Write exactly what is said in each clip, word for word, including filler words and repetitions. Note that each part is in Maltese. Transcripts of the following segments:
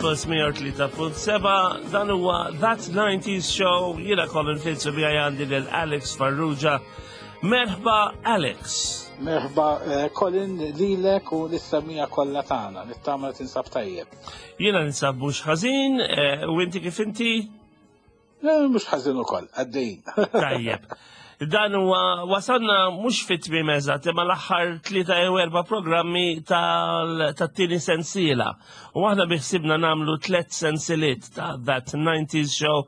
Campus mija u tlieta punt seba', dan huwa That nineties Show, jiena Colin Fitz u miegħi għandi lil Alex Farrugia. Merħba, Alex. Merħba, eh, Colin, lilek u lis-semmiegħa kollha tagħna, nittama li tinsab tajjeb. Jiena ninsab mhux ħażin, eh, u inti kif inti? Eh, mhux ħażin ukoll, għaddejjin. Tajjeb. Dan huwa wasalna mhux fit-tmiem eżatt, imma l-aħħar tlieta jew erba' programmi tat-tieni sensiela. U aħna biħsibna nagħmlu tliet sensiliet ta' That nineties Show,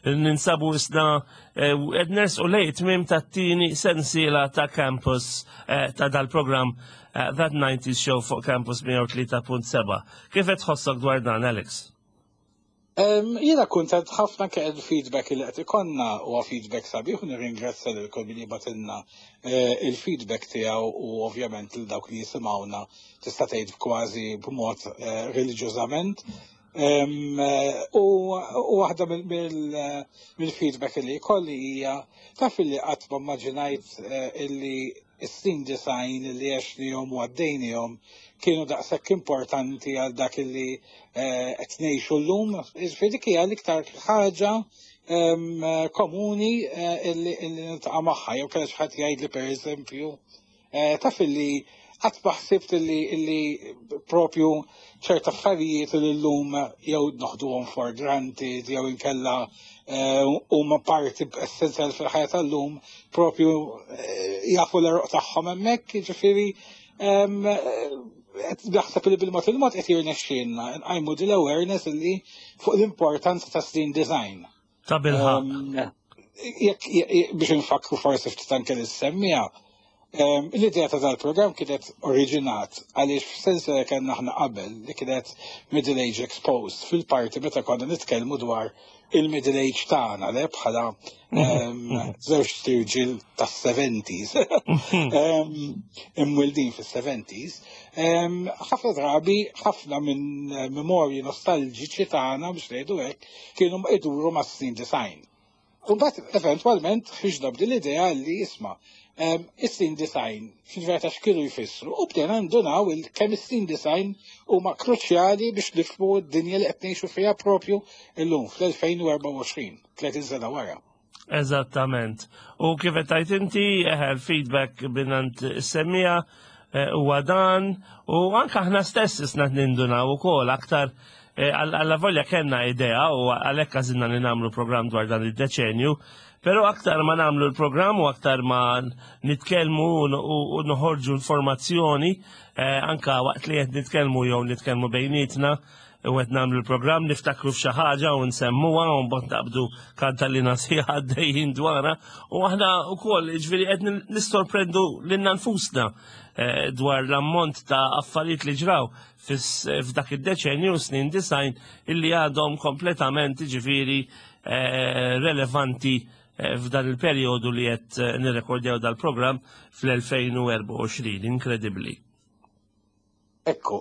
ninsabu isna qed nersqu lejn tmiem tat-tieni sensiela ta' Campus, eh, ta' dal-programm eh, That nineties Show fuq Campus mija u tlieta punt seba'. Kif qed tħossok dwar dan, Alex? Jiena kuntent ħafna ke il-feedback li qed ikollna huwa feedback sabiħ u nirringrazzja lil kull min jibgħatilna eh, il-feedback tiegħu u ovvjament lil dawk li jisimgħuna, tista' tgħid kważi b'mod eh, reliġjożament. Eh, u waħda mill-feedback li jkolli hija: taf li qatt ma immaġinajt illi is-snin disgħin li għexnihom u għaddejnihom kienu daqshekk importanti għal dak li eh, qed ngħixu llum. Jiġifieri dik hija l-iktar ħaġa komuni eh, illi niltaqa' magħha, jew kellha xi ħadd jgħidli, pereżempju, eh, taf illi qatt ma ħsibt illi illi propju ċerta affarijiet li llum jew noħduhom for granted jew inkella huma parti essenzjali fil-ħajja tal-lum, propju jafu l-għeruq tagħhom hemmhekk. Jiġifieri naħseb li bil-mod il-mod qed jirnexxielna nqajmu din l-awareness illi fuq l-importanza ta' snin disgħin. Ta' bilħaqq. Jekk biex nfakru forsi ftit anke lis-semmiegħa, l-idea ta' dal-programm kienet oriġinat għaliex f'sens li kellna aħna qabel, li kienet Middle Age Exposed, fil-parti meta konna nitkellmu dwar il-middle age tagħna, le, bħala żewġ irġiel tas-seventies, imwildin fis-seventies. Ħafna drabi ħafna minn memorji nostalġiċi tagħna, biex ngħidu hekk, kienu iduru mas-snin disgħin. U mbagħad eventwalment ħriġna b'din l-idea li, isma', is-snin disgħin fil-verità x'kienu jfissru, u bdejna ndunaw il kemm is-snin disgħin huma kruċjali biex nifhmu d-dinja li qed ngħixu fiha propju illum fl-elfejn u erbgħa u għoxrin, tletin sena wara. Eżattament. U kif qed tgħid inti, il-feedback mingħand is-semmiegħa huwa dan, u anke aħna stess isna nindunaw ukoll aktar, għalla volja kellna idea u għalhekk għażilna li nagħmlu program dwar dan id-deċenju, pero aktar ma nagħmlu l-programm u aktar ma nitkellmu u noħorġu informazzjoni, anka waqt li qed nitkellmu jew nitkellmu bejnietna u qed nagħmlu l-programm, niftakru f'xi ħaġa u nsemmuha u mbagħad naqbdu kantaliena sħiħa għaddejjin dwarha, u aħna wkoll ġifieri qed nistorprendu lilna nfusna dwar l-ammont ta' affarijiet li ġraw f'dak id-deċenju snin disgħin illi għadhom kompletament ġifieri relevanti f'dan il-perjodu li qed nirrekordjaw dal-programm fl-elfejn u erbgħa u għoxrin. Inkredibbli. Ekku,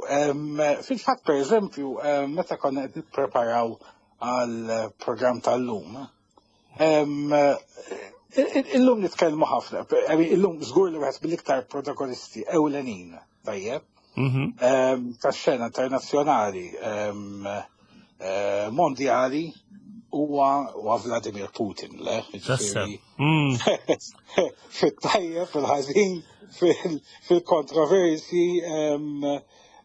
fil-fatt, per eżempju, meta konna qed nippreparaw għal program tal-lum, illum nitkellmu ħafna, illum żgur li wieħed mill-iktar protagonisti ewlenin, tajjeb, tax-xena internazzjonali, mondjali, huwa huwa Vladimir Putin, le? Mm. Fit-tajjeb, fil-ħażin, fil-kontroversi,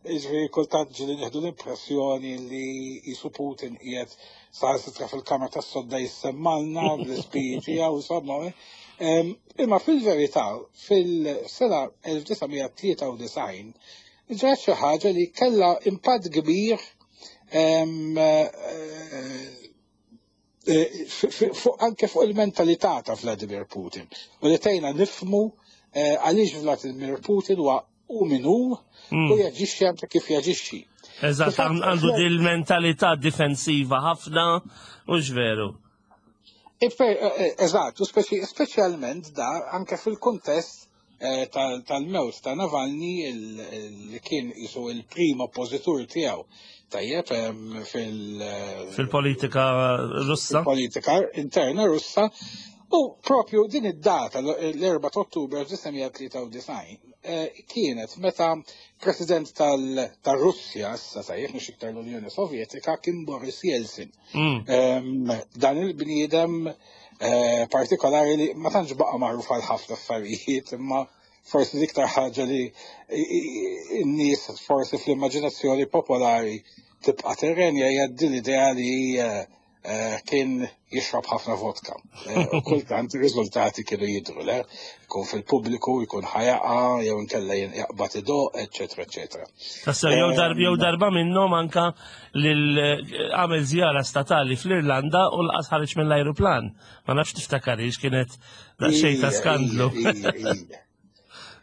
ġifieri kultant ġieli nieħdu l-impressjoni li jisu Putin qiegħed saħansitra fil-kamra tas-sodda jissemmalna bl-ispiji tiegħu, insomma. Imma fil-verità, fil-sena elf disa' mija tlieta u disgħin ġrat xi ħaġa li kellha impatt kbir eh, anke fuq il-mentalità ta' Vladimir Putin. U li tgħinna nifhmu eh, għaliex Vladimir Putin huwa u min hu u jaġixxi anke kif jaġixxi. Eżatt, għandu dil-mentalità difensiva ħafna, u veru. Eh, eżatt, u speċjalment da anke fil-kontest tal-mewt ta' Navalny, li kien jisu il-prim oppożitur tiegħu. Tajjeb, fil- Fil-politika Russa. Politika interna Russa. U propju din id-data, l-erbgħa ta' Ottubru elf disa' mija tlieta u disgħin, eh, kienet meta president tal-Russja, issa sajjef mhux iktar l-Unjoni Sovjetika, kien Boris Yeltsin. Mm. Dan il-bniedem eh, partikolari li ma tantx baqa' magħruf għal ħafna affarijiet, imma forsi l-iktar ħaġa li n-nies forsi fl-immaġinazzjoni popolari tibqa' terrenja hija din l-idea li eh, eh, kien jixrob ħafna vodka. Eh, u kultant ir-riżultati kienu jidru, le? Jkun fil-pubbliku, jkun ħa jaqa', jew inkella jaqbad idoqq, eċetera, eċetera. Tassew, jew darba jew darba minnhom anka lil għamel żjara statali fl-Irlanda u lanqas ħareġ mill-ajruplan. Ma nafx tiftakarix, kienet daqsxejn ta' skandlu.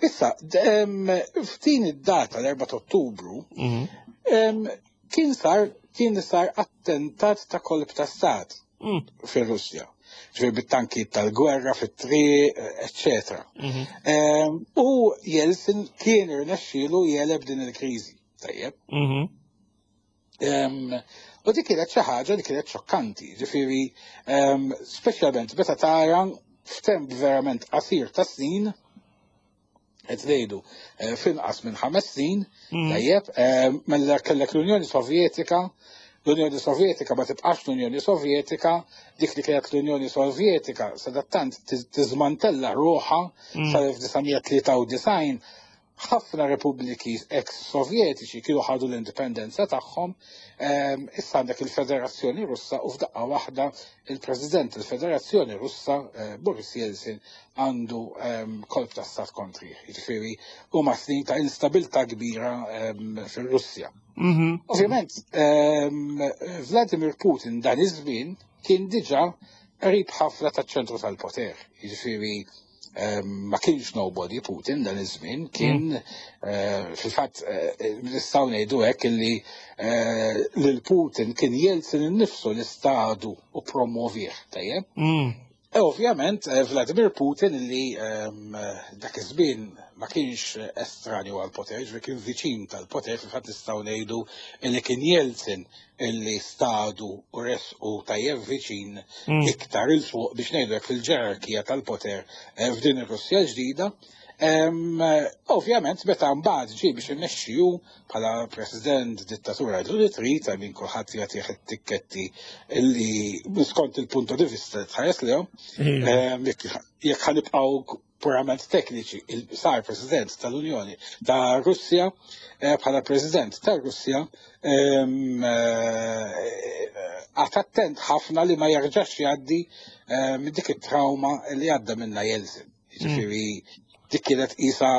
Issa, f'din id-data, l-erbgħa ta' Ottubru, Mhm. kien sar kien sar attentat ta' kolp ta' stat Mm. fir-Russja. Ġifieri bit-tankijiet tal-gwerra, fit-triq, eccetera. Mhm. U Jeltsin kien irnexxielu jegħleb din il-kriżi. Tajjeb. Mhm. U dik kienet xi ħaġa li kienet xokkanti, ġifieri speċjalment meta tara f'temp verament qasir ta' snin, qed ngħidu eh, f'inqas minn ħames snin, Mm. tajjeb, mela kellek l-Unjoni Sovjetika, l-Unjoni Sovjetika ma tibqax l-Unjoni Sovjetika, dik li kienet l-Unjoni Sovjetika sadattant tiżmantella ruħha Mm. sal-elf disa' mija tlieta u disgħin. Ħafna repubbliki ex-sovjetiċi kienu ħadu l-indipendenza tagħhom, ehm, issa għandek il-Federazzjoni Russa u f'daqqa waħda il-President tal-Federazzjoni Russa, eh, Boris Yeltsin, għandu ehm, kolp ta' stat kontri. Jiġifieri huma snin ta' instabilità kbira ehm, fir-Russja. Mhm. Ovvjament, Vladimir Putin dan iż-żmien kien diġà qrib ħafna taċ-ċentru tal-poter. Jiġifieri ma kienx nobody Putin dan iż-żmien, kien eh, fil-fatt eh, nistgħu ngħidu hekk illi eh, lil Putin kien Jeltsin innifsu li stadu u promovih, tajjeb. Mm. E ovvjament Vladimir Putin, li dak iż-żmien ma kienx estranju għal poter, ġifieri kien viċin tal-poter, fil-fatt nistgħu ngħidu li kien Jeltsin illi stadu u resqu tajjeb viċin Mm. iktar 'il fuq, biex ngħidu hekk, fil-ġerarkija tal-poter eh, f'din ir-Russja ġdida. Em, Ovvjament, meta mbagħad ġie biex imexxi hu bħala president dittatura li trid, minn kulħadd jagħtih it-tikketti illi skont il-punto di vista tħares lehom. Iva. Em, Jekk jekk ħa nibqgħu purament tekniċi, il- sar president tal-Unjoni ta' Russja, eh, bħala president ta' Russja, em, eh, qagħad attent ħafna li ma jerġax jgħaddi eh, minn dik it-trauma li għadda minna Jeltsin. Ġifieri dik kienet isa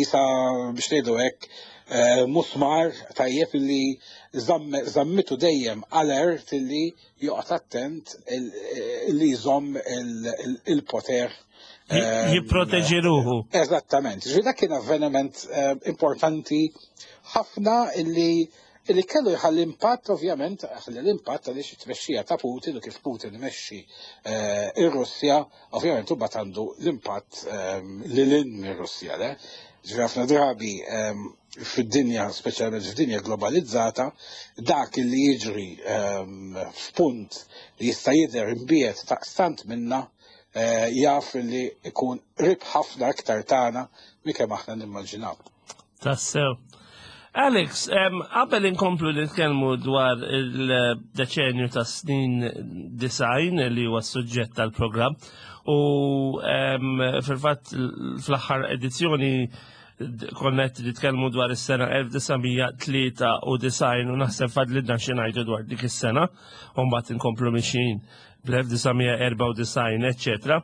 isa biex ngħidu hekk eh, musmar tajjeb li zamm- zammitu dejjem alert li joqgħod attent il- li jżomm il- il- il-poter. Ji- Jipproteġi ruħu. Eżattament. Ġifieri dak kien avveniment eh, importanti ħafna illi illi kellu jħalli impatt, ovvjament, ħalli l-impatt għaliex it-tmexxija ta' Putin u kif Putin mexxi eh, ir-Russja, ovvjament imbagħad għandu l-impatt ehm, lil hinn mir-Russja, le? Ġifieri ħafna drabi ehm, fid-dinja, speċjalment f'dinja globalizzata, dak li jiġri ehm, f'punt li jista' jidher imbiegħed daqstant minna eh, jaf li ikun qrib ħafna aktar tagħna minn kemm aħna nimmaġinaw. Tassew. Alex, em, qabel inkomplu nitkellmu dwar il-deċenju ta' snin disgħin li huwa s-suġġett tal-programm u em, fil-fatt fl-aħħar edizzjoni d- konna qed nitkellmu dwar is-sena elf disa' mija tlieta u disgħin u naħseb fadlilna xi ngħidu dwar dik is-sena u mbagħad inkomplu mixjin bl-elf disa' mija erbgħa u disgħin, eċċetera.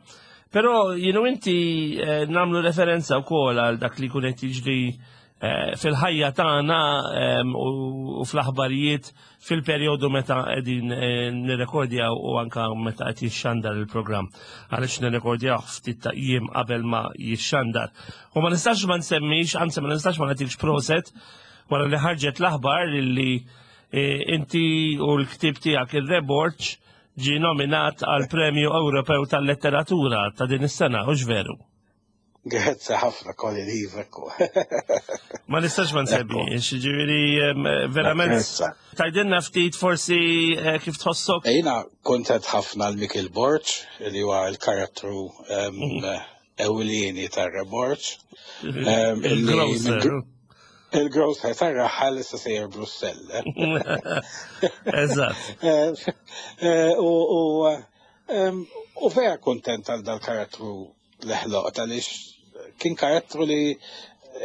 Però jienu inti eh, nagħmlu referenza wkoll għal dak li kun qed jiġri eh, fil-ħajja tagħna em, u u fl-aħbarijiet fil-perjodu meta qegħdin eh, nirrekordjaw u anka meta qed jixxandar il-programm. Għaliex nirrekordjaw ftit ta' jiem qabel ma jixxandar. U ma nistax ma nsemmix, anzi ma nistax ma nagħtikx proset wara li ħarġet l-aħbar li eh, inti u l-ktib tiegħek ir-Reborċ ġi nominat għal Premju Ewropew tal-Letteratura ta' din is-sena, hux veru? Grazzi ħafna, Colin, ekku. Ma nistax ma nsemmix, ġifieri verament. Tgħidilna ftit forsi eh, kif tħossok? Jiena kontent ħafna lil Michael Borg, li huwa l-karattru mhm. ewlieni tar-Re Borg. Il-grocer. Il-grocer tar-raħal issa sejjer Brussell. Eżatt. Eh, eh, u vera kontent għal dal-karattru li ħloqt, għaliex kien karattru li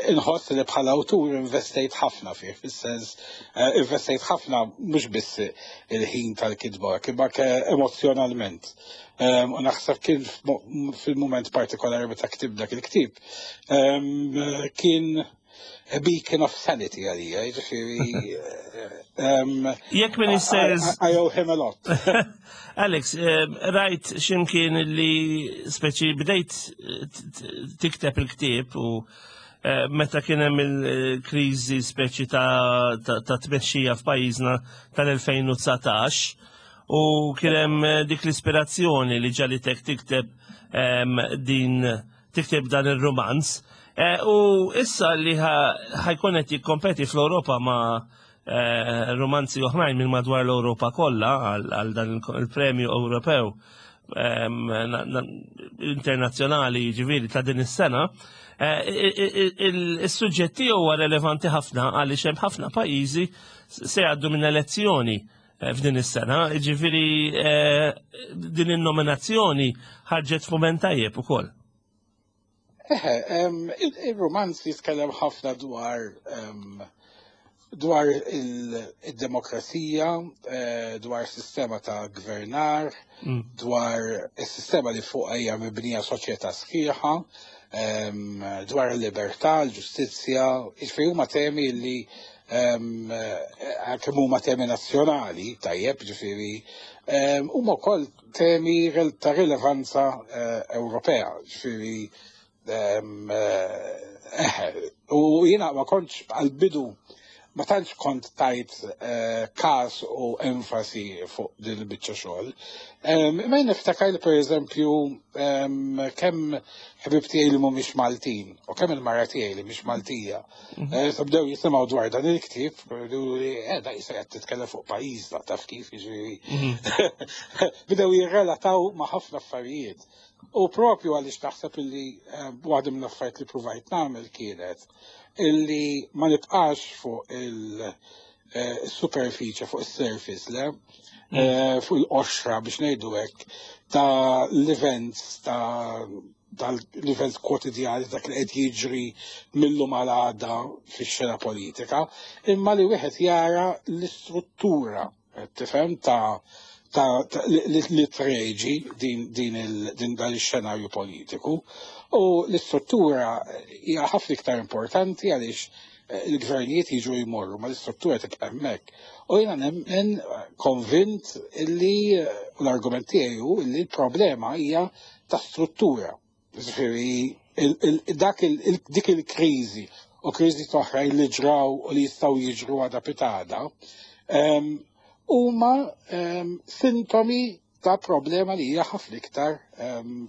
inħoss li bħala awtur investejt ħafna fih, fis-sens eh, investejt ħafna mhux biss il-ħin tal-kitba, imma emozjonalment. U naħseb kien fil-moment partikolari meta ktibt dak il-ktib, kien a beacon of sanity għalija, ġifieri. Jekk min jistess. I owe him a lot. Alex, rajt ximkien li speċi bdejt tikteb il-ktib u eh, meta kien hemm il-kriżi speċi ta' tmexxija f'pajjiżna tal-elfejn u dsatax u kien hemm dik l-ispirazzjoni li ġagħlitek tikteb din tikteb dan ir-romanz. Eh, u issa li ħa jkun qed jikkompeti fl-Ewropa ma' eh, romanzi oħrajn minn madwar l-Ewropa kollha għal dan il-premju Ewropew internazzjonali, ġifieri ta' din is-sena, eh, il-suġġetti huwa relevanti ħafna għaliex hemm ħafna pajjiżi se jgħaddu minn elezzjoni f'din is-sena, ġifieri din in-nominazzjoni ħarġet f'mument tajjeb ukoll. Eħe, il-romanz jitkellem ħafna dwar dwar il-demokrazija, eh, dwar sistema ta' gvernar, mm. dwar il-sistema li fuq hija mibnija soċjetà sħiħa, dwar il-libertà, l-ġustizzja, jiġifieri huma temi li kemm huma temi nazzjonali, tajjeb, ġifieri, huma wkoll temi ta' rilevanza eh, Ewropea, ġifieri eh, u jiena ma kontx għal-bidu ma tantx kont tajt eh, kas u enfasi fuq din il-biċċa xogħol. Imma niftakar li, pereżempju, kemm ħbieb tiegħi li mhumiex Maltin u kemm il-mara tiegħi li mhix Maltija. Mhm. Eh, bdew jisimgħu dwar dan il-ktieb, li eh da jista' qed titkellem fuq pajjiżna, taf kif, jiġifieri. Mhm. Bdew jirrelataw ma' ħafna affarijiet. U propju għaliex taħseb illi waħda mill-affarijiet li provajt nagħmel kienet illi ma nibqax fuq il-superfiċe, fuq il-surface, le? Mm. Eh, fuq il-qoxra, biex ngħidu hekk, ta' l-events ta' tal-events kwotidjani, dak li qed jiġri mill-lum għal għada fix-xena politika, imma li wieħed jara l-istruttura, tifhem, ta' ta' li, li treġi din, din, il, din dan ix-xenarju politiku. U l-istruttura hija ħafna iktar importanti għaliex eh, il-gvernijiet jiġu jmorru, ma l-istruttura tibqa' hemmhekk. U jiena nemmen, konvint illi eh, u l-argument tiegħi hu illi l-problema hija ta' struttura. Ġifieri dak dik il-kriżi u kriżi oħra li ġraw u li jistgħu jiġru għada pitgħada huma sintomi ta' problema li hija ħafna iktar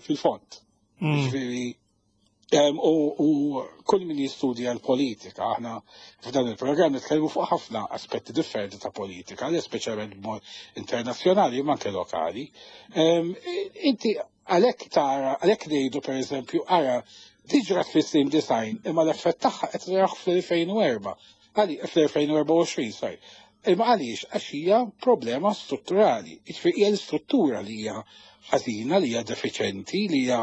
fil-fond. Mm. Ġifieri u kull min jistudja l-politika, aħna f'dan il-programm nitkellmu fuq ħafna aspetti differenti ta' politika, li speċjalment b'mod internazzjonali ma anke lokali. Inti għalhekk tara, għalhekk ngħidu, pereżempju, ara din ġrat fis-snin disgħin, imma l-effett tagħha qed naraw fl-elfejn u erbgħa. Għali fl-elfejn u erbgħa u għoxrin, sorry. Imma għaliex? Għax hija problema strutturali. Jiġifieri hija l-istruttura li hija ħażina, li hija defiċenti, li hija,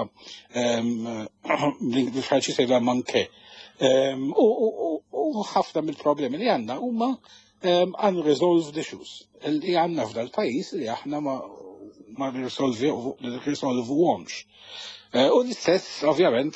bil-Franċiż jgħidha, manquée. U ħafna mill-problemi li għandna huma unresolved issues li għandna f'dal pajjiż li aħna ma ma nirrisolvuhomx. Eh, u l-istess, ovvjament,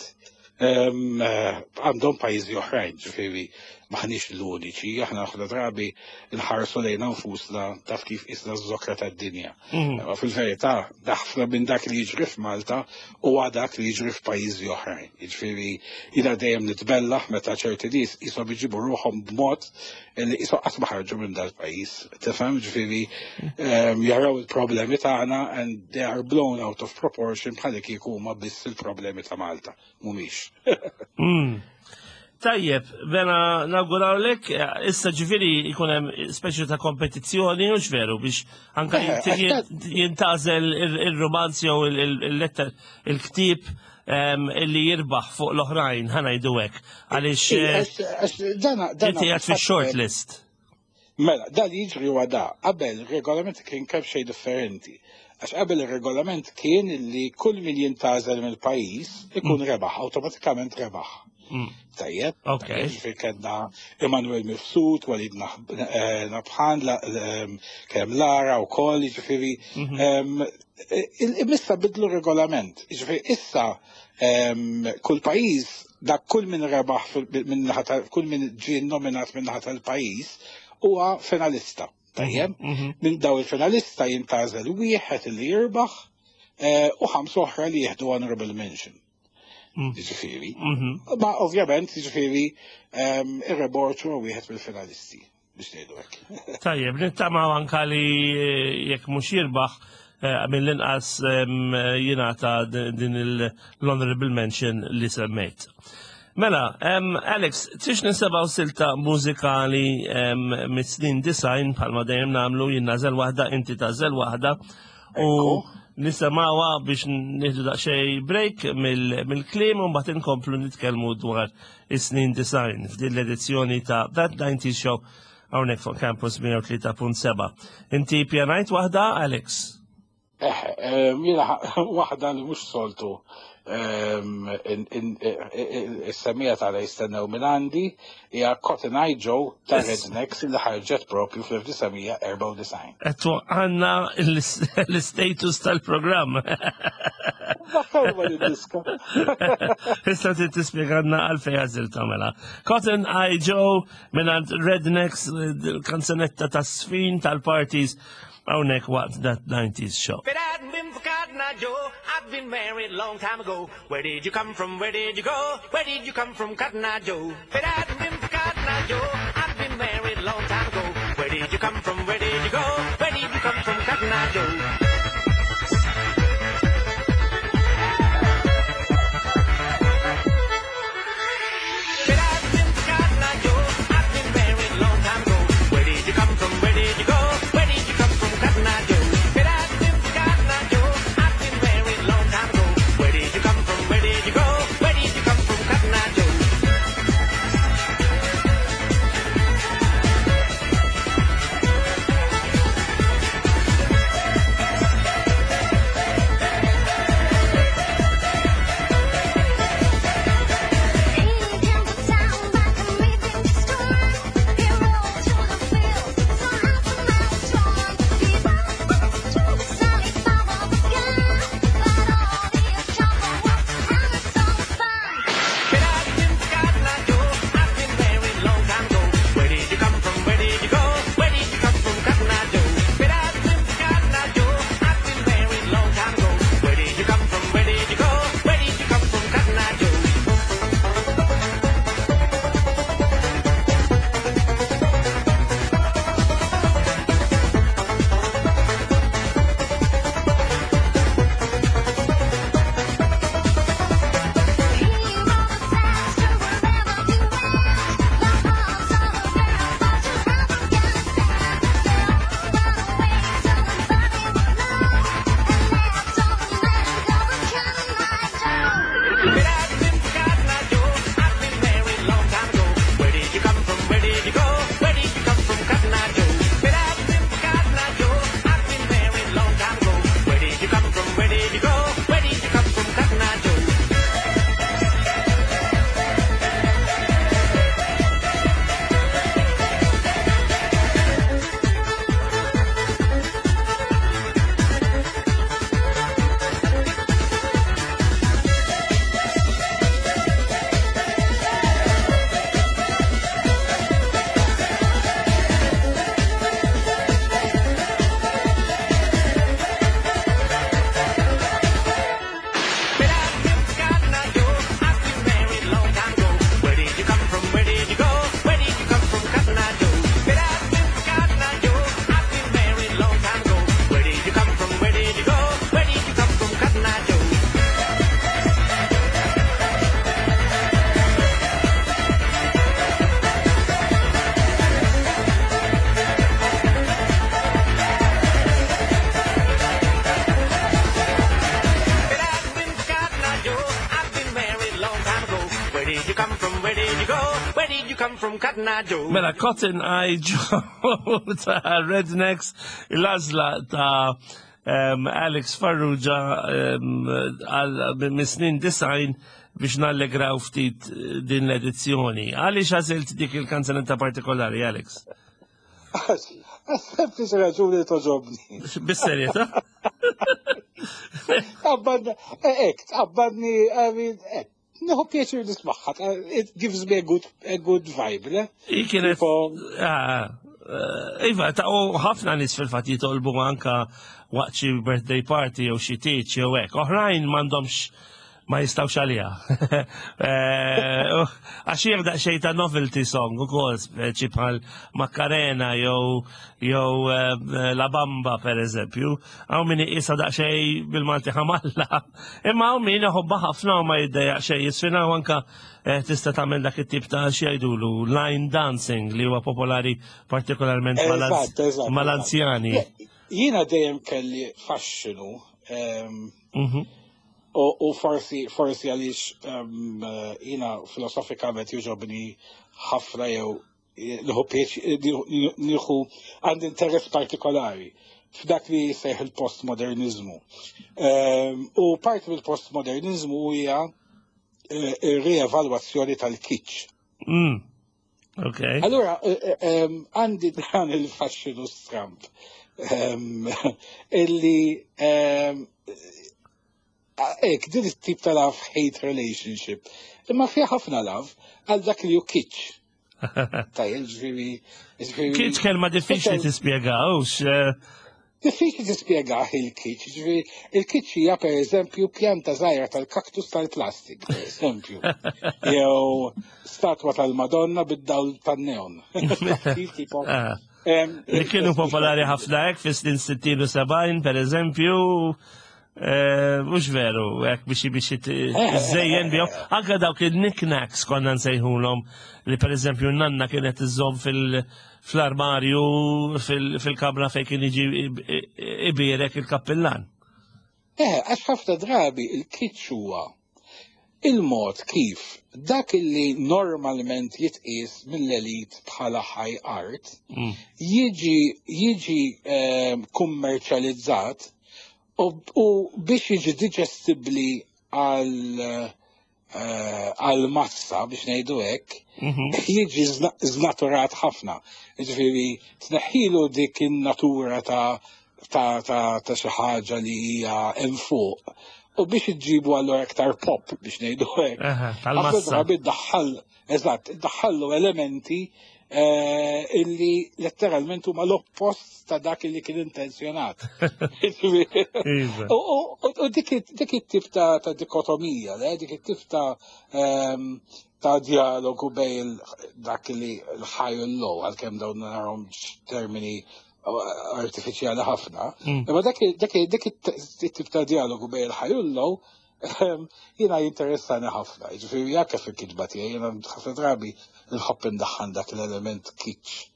għandhom pajjiżi oħrajn, ġifieri, M'aħniex l-uniċi, aħna ħafna drabi nħarsu lejna nfusna taf kif isna z-zokra tad-dinja. Mhm. Ma fil-verità, ħafna minn dak li jiġri f'Malta huwa dak li jiġri f'pajjiżi oħrajn. Jiġifieri jiena dejjem nitbellaħ meta ċerti nies qishom iġibu ruħhom b'mod li qishom qatt ma ħarġu minn dal-pajjiż. Tifhem, ġifieri ehm, jaraw il-problemi tagħna and they are blown out of proportion bħal kieku huma biss il-problemi ta' Malta. Mhumiex. Mm. Tajjeb, bena nawgurawlek, issa ġifieri jkun hemm speċi ta' kompetizzjoni, u veru, biex anka Eh, jint- jintgħażel il-romanz jew il-letter, il-ktieb em, illi jirbaħ fuq l-oħrajn, ħa ngħidu hekk. Għaliex eh, Għax dana dana inti għad fil-short list. Mela, da li jiġri huwa da, qabel il-regolament kien kemm xejn differenti. Għax qabel il-regolament kien li kull min jintgħażel mill-pajjiż ikun rebaħ, awtomatikament rebaħ. Mm. Tajjeb. Ok. Ġifieri kellna Emanuel Mifsud, Walid Nah- eh, Nabhan, la- ehm, kemm Lara u koll, ġifieri. ehm, il- Issa bidlu regolament. Ġifieri issa ehm, kull pajjiż, dak kull min rebaħ fil- minn naħa tal- kull min ġie nominat minn naħa tal-pajjiż huwa finalista. Tajjeb. Mhm. Minn daw il-finalista jintgħażel wieħed li jirbaħ eh, u ħamsa oħra li jieħdu honorable mention. Mm. Ġifieri. Mhm. Ma ovvjament, ġifieri, um, ir-reborċ huwa wieħed mill-finalisti biex ngħidu hekk. Tajjeb, nittamaw anka li eh, jekk mhux jirbaħ eh, mill-inqas em, jingħata din l-honorable mention li semmejt. Mela, um, Alex, tix nisimgħu silta mużikali um, mis-snin disgħin bħalma dejjem nagħmlu jien nagħżel waħda, inti tagħżel waħda u Ekku. nisimgħuha biex nieħdu daqsxejn break mill-kliem u mbagħad inkomplu nitkellmu dwar is-snin disgħin f'din l-edizzjoni ta' That nineties Show hawnhekk fuq Campus mija u tlieta punt seba'. Inti pjanajt waħda, Alex? Eh, jiena waħda li mhux soltu is-semmiegħa tagħna jistennew minn għandi hija Cotton Eye Joe ta' Rednecks li ħarġet propju fl-elf disa' mija erbgħa u disgħin. Qed għandna l-status tal-programm. Ħelwa diska. Issa trid tispjegana għalfejn għażilt mela. Cotton Eye Joe minn Rednecks, kanzunetta ta' sfin tal-parties hawnhekk waqt That nineties Show. If it hadn't been for Cotton Eye Joe, I'd been married a long time ago. Where did you come from? Where did you go? Where did you come from, Cotton Eye Joe? If it hadn't been for Cotton Eye Joe, I'd been married a long time ago. Where did you come from? Where did you go? Where did you come from, Cotton Eye Joe? If it hadn't been for Cotton Eye Joe, I'd been married a long time ago. Where did you come from? Where did you go? Where did you come from, Cotton Eye Joe? If it hadn't been for Cotton Eye Joe, I'd been married a long time ago. Where did you come from? Where did you go? Where did you come from, Cotton Eye Joe? did you come from? Where did you go? Where did you come from, Cotton Eye Joe? Mela, Cotton Eye Joe ta' Rednecks, l-għażla ta' um, Alex Farrugia um, għal mis-snin disgħin biex nallegraw ftit din l-edizzjoni. Għaliex għażilt dik il-kanzunetta partikolari, Alex? Sempliċi raġuni, togħġobni. Bis-serjetà? Tqabbadni, ek, tqabbadni, I mean, ek, nieħu pjaċir nismagħha, it gives me a good, a good vibe, le? I kienet. Tipo- Ah, eh, Iva, ta' u ħafna nies fil-fatt jitolbu anka waqt xi birthday party jew xi tieġ jew hekk. Oħrajn m'għandhomx, ma jistawx għaliha. Eh, uh, Għax hija daqsxejn ta' novelty song ukoll, speċi bħal Macarena jew jew eh, La Bamba, per eżempju. Hawn min iqisha daqsxejn, bil-Malti, ħamalla. Imma hawn min iħobbha ħafna u ma jiddejjaq xejn jiżfina u anka eh, tista' tagħmel dak it-tip ta' xi jgħidulu line dancing li huwa popolari partikolarment Eżatt, eżatt. mal-anzjani. Jiena dejjem kelli faxxinu, em, Mhm. u u forsi forsi għaliex em, eh, jiena filosofikament jogħġobni ħafna jew nieħu pjaċ- nieħu għandi interess partikolari f'dak li jissejjaħ il-postmodernizmu. Em, U parti mill-postmodernizmu hija eh, ir-rievalwazzjoni tal-kitsch. Mm. Okay. Allora, eh, eh, em, għandi dan il-faxxinu stramp em, illi em, ek, din it-tip ta' love-hate relationship. Imma fiha ħafna love għal dak li hu kitsch. Tajjeb, ġifieri, ġifieri. Kitsch kelma diffiċli tispjega, hux. eh, Diffiċli tispjega il-kitsch, ġifieri, il-kitsch hija, per eżempju, pjanta żgħira tal-kaktus tal-plastik, per eżempju. Jew statwa tal-Madonna bid-dawl tan-neon. Kif tipo, ah. em, Li kienu popolari ħafna hekk fis-snin sittin u sebgħin, per eżempju, eh, mhux veru, hekk biex biex iżejjen bihom. Anka dawk il-knickknacks konna nsejħulhom, li per eżempju nanna kienet iżżomm fil- fl-armarju fil- fil-kamra fejn kien jiġi ibierek il-kappillan. Eh, għax ħafna drabi il-kitsch huwa il-mod kif dak illi normalment jitqies mill-elit bħala high art Mm. jiġi jiġi eh, kummerċjalizzat u, u biex jiġi digestibli għal eh, għal massa, biex ngħidu hekk, Mhm. jiġi zna- znaturat ħafna. Ġifieri tneħħilu dik in-natura ta' ta' ta' ta' xi ħaġa li hija hemm fuq. U biex iġibu allura iktar pop, biex ngħidu hekk. Aha, Ħafna tal-massa. drabi ddaħħal, eżatt, daħħallu elementi eh, illi letteralment huma l-oppost ta' dak illi kien intenzjonat. Iva. U u- u dik it- dik it-tip ta' ta' dikotomija, le? Dik it-tip ta' ehm, ta' dialogu bejn il- dak li l-high u l-low, għalkemm dawn narahom termini uh, artifiċjali ħafna. Mm. Imma dak dak dik it-tip ta' dialogu bejn il-high u l-low ehm, jiena jinteressani ħafna. Ġifieri jekk fil-kitba tiegħi jiena ħafna drabi nħobb indaħħan dak l-element kitsch.